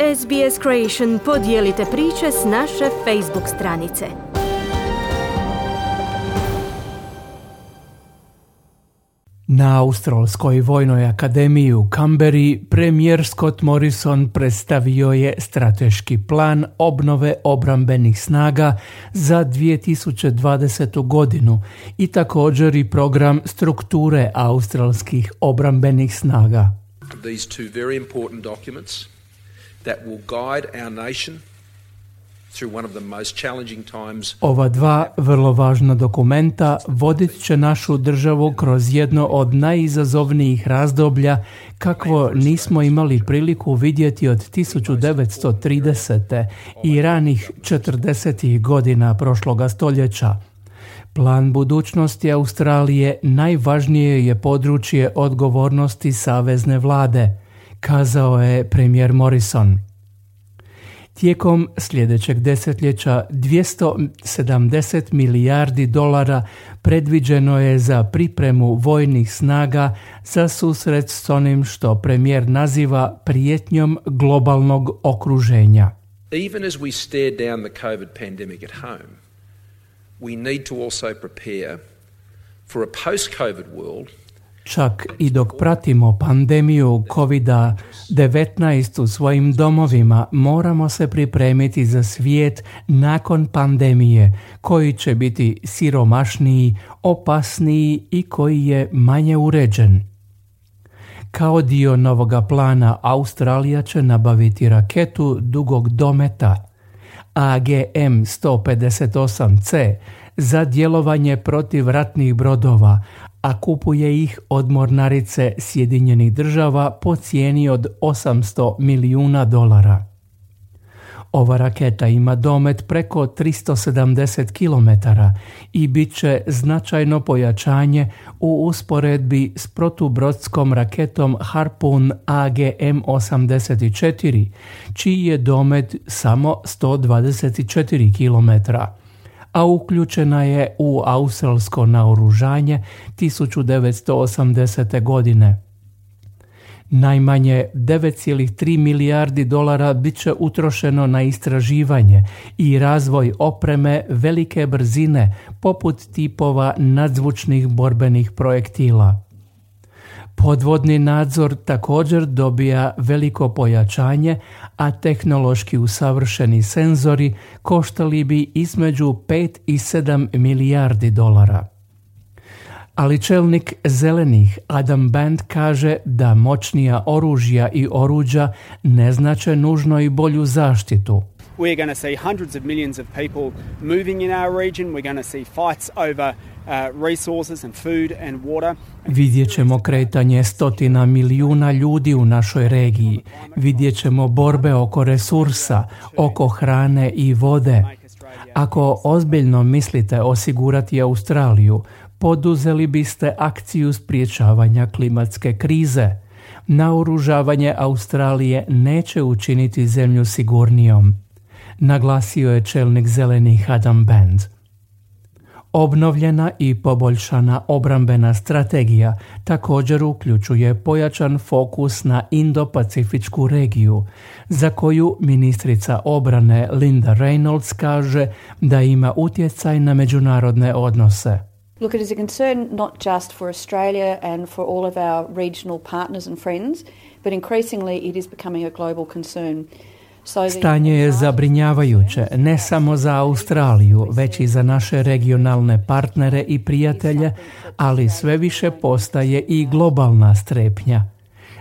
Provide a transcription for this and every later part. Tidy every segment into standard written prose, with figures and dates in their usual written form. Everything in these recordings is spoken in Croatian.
SBS Creation podijelite priče s naše Facebook stranice. Na Australskoj vojnoj akademiji u Canberri premijer Scott Morrison predstavio je strateški plan obnove obrambenih snaga za 2020. godinu i također i program strukture australskih obrambenih snaga. These two very important documents that will guide our nation through one of the most challenging times. Ova dva vrlo važna dokumenta vodit će našu državu kroz jedno od najizazovnijih razdoblja kakvo nismo imali priliku vidjeti od 1930. i ranih 40. godina prošloga stoljeća. Plan budućnosti Australije najvažnije je područje odgovornosti savezne vlade, kazao je premijer Morrison. Tijekom sljedećeg desetljeća $270 milijardi predviđeno je za pripremu vojnih snaga za susret s onim što premijer naziva prijetnjom globalnog okruženja. Even as we stare down the COVID pandemic at home, we need to also prepare for a post-COVID world. Čak i dok pratimo pandemiju COVID-19 u svojim domovima, moramo se pripremiti za svijet nakon pandemije, koji će biti siromašniji, opasniji i koji je manje uređen. Kao dio novoga plana, Australija će nabaviti raketu dugog dometa AGM-158C za djelovanje protiv ratnih brodova, a kupuje ih od mornarice Sjedinjenih država po cijeni od $800 milijuna. Ova raketa ima domet preko 370 km i bit će značajno pojačanje u usporedbi s protubrodskom raketom Harpoon AGM-84, čiji je domet samo 124 km. A uključena je u australsko naoružanje 1980. godine. Najmanje $9,3 milijardi bit će utrošeno na istraživanje i razvoj opreme velike brzine poput tipova nadzvučnih borbenih projektila. Podvodni nadzor također dobija veliko pojačanje, a tehnološki usavršeni senzori koštali bi između $5 i $7 milijardi. Ali čelnik Zelenih Adam Band kaže da moćnija oružja i oruđa ne znače nužno i bolju zaštitu. We're going to see hundreds of millions of people moving in our region. We're going to see fights over resources and food and water. Vidjet ćemo kretanje stotina milijuna ljudi u našoj regiji. Vidjet ćemo borbe oko resursa, oko hrane i vode. Ako ozbiljno mislite osigurati Australiju, poduzeli biste akciju sprječavanja klimatske krize. Naoružavanje Australije neće učiniti zemlju sigurnijom, naglasio je čelnik Zelenih Adam Band. Obnovljena i poboljšana obrambena strategija također uključuje pojačan fokus na Indo-Pacifičku regiju, za koju ministrica obrane Linda Reynolds kaže da ima utjecaj na međunarodne odnose. Look, it is a concern not just for Australia and for all of our regional partners and friends, but increasingly it is becoming a global concern. Stanje je zabrinjavajuće ne samo za Australiju, već i za naše regionalne partnere i prijatelje, ali sve više postaje i globalna strepnja.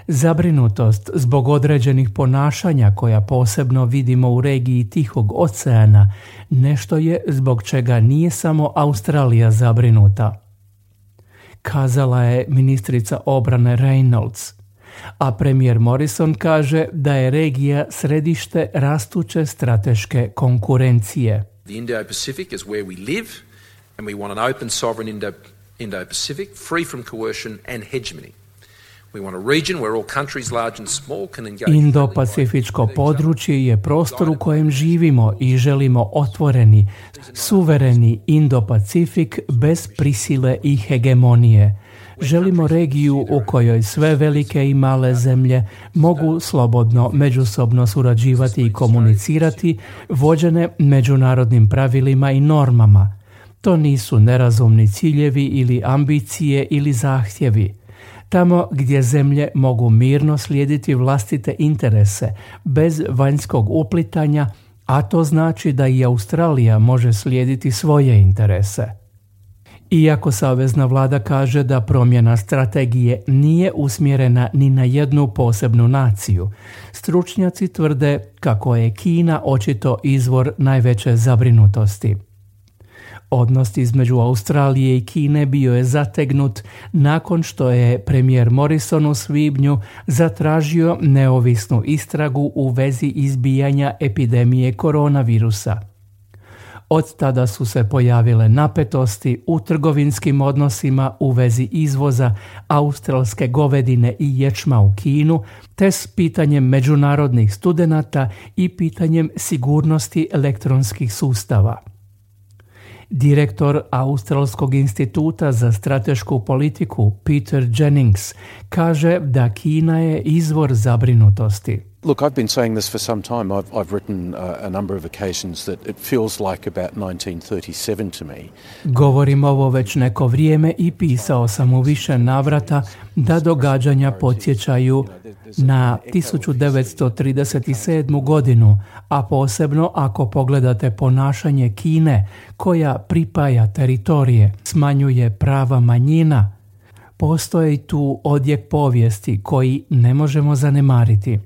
Zabrinutost zbog određenih ponašanja koja posebno vidimo u regiji Tihog oceana nešto je zbog čega nije samo Australija zabrinuta, kazala je ministrica obrane Reynolds. A premijer Morrison kaže da je regija središte rastuće strateške konkurencije. The Indo-Pacific is where we live and we want an open sovereign Indo-Pacific free from coercion and hegemony. Indo-Pacifičko područje je prostor u kojem živimo i želimo otvoreni, suvereni Indo-Pacifik bez prisile i hegemonije. Želimo regiju u kojoj sve velike i male zemlje mogu slobodno međusobno surađivati i komunicirati, vođene međunarodnim pravilima i normama. To nisu nerazumni ciljevi ili ambicije ili zahtjevi. Tamo gdje zemlje mogu mirno slijediti vlastite interese, bez vanjskog uplitanja, a to znači da i Australija može slijediti svoje interese. Iako savezna vlada kaže da promjena strategije nije usmjerena ni na jednu posebnu naciju, stručnjaci tvrde kako je Kina očito izvor najveće zabrinutosti. Odnos između Australije i Kine bio je zategnut nakon što je premijer Morrison u svibnju zatražio neovisnu istragu u vezi izbijanja epidemije koronavirusa. Od tada su se pojavile napetosti u trgovinskim odnosima u vezi izvoza australske govedine i ječma u Kinu, te s pitanjem međunarodnih studenata i pitanjem sigurnosti elektronskih sustava. Direktor Australskog instituta za stratešku politiku Peter Jennings kaže da Kina je izvor zabrinutosti. Look, I've been saying this for some time. I've written a number of occasions that it feels like about 1937 to me. Govorim ovo već neko vrijeme i pisao sam u više navrata da događanja podsjećaju na 1937. godinu, a posebno ako pogledate ponašanje Kine koja pripaja teritorije, smanjuje prava manjina. Postoji tu odjek povijesti koji ne možemo zanemariti.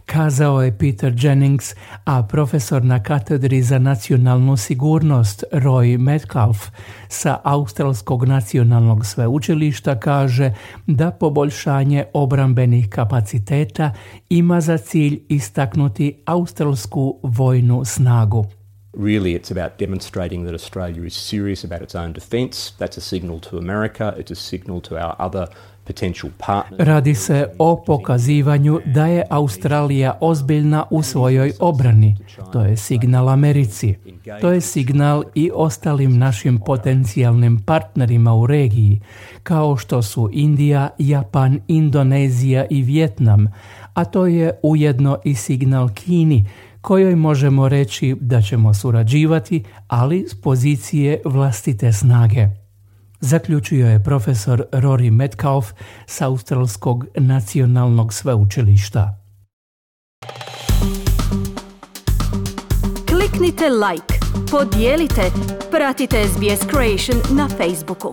Kazao je Peter Jennings, a profesor na katedri za nacionalnu sigurnost Roy Metcalfe sa Australskog nacionalnog sveučilišta kaže da poboljšanje obrambenih kapaciteta ima za cilj istaknuti australsku vojnu snagu. Really, it's about demonstrating that Australia is serious about its own defence. That's a signal to America. It's a signal to our other potential partners. Radi se o pokazivanju da je Australija ozbiljna u svojoj obrani. To je signal Americi. To je signal i ostalim našim potencijalnim partnerima u regiji, kao što su Indija, Japan, Indonezija i Vijetnam, a to je ujedno i signal Kini, kojoj možemo reći da ćemo surađivati, ali s pozicije vlastite snage. Zaključio je profesor Rory Metcalfe s Australskog nacionalnog sveučilišta. Kliknite like, podijelite, pratite SBS Creation na Facebooku.